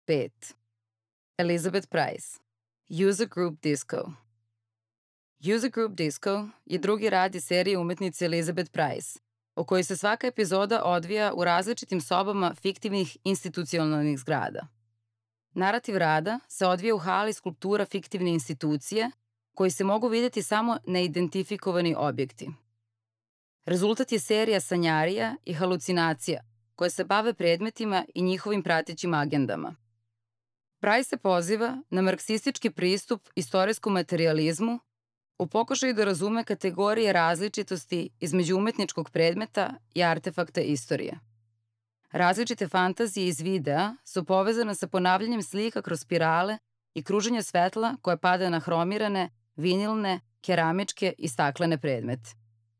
5. Elizabeth Price. User Group Disco. User Group Disco je drugi rad iz serije umetnice Elizabeth Price, o kojoj se svaka epizoda odvija u različitim sobama fiktivnih institucionalnih zgrada. Narativ rada se odvija u hali skulptura fiktivne institucije, koji se mogu videti samo neidentifikovani objekti. Rezultat je serija sanjarija i halucinacija koje se bave predmetima i njihovim pratećim agendama. Price se poziva na marksistički pristup istorijskom materijalizmu u pokušaju da razume kategorije različitosti između umetničkog predmeta i artefakta istorije. Različite fantazije iz videa su povezane sa ponavljanjem slika kroz spirale i kruženje svetla koje pada na hromirane, vinilne, keramičke i staklene predmete.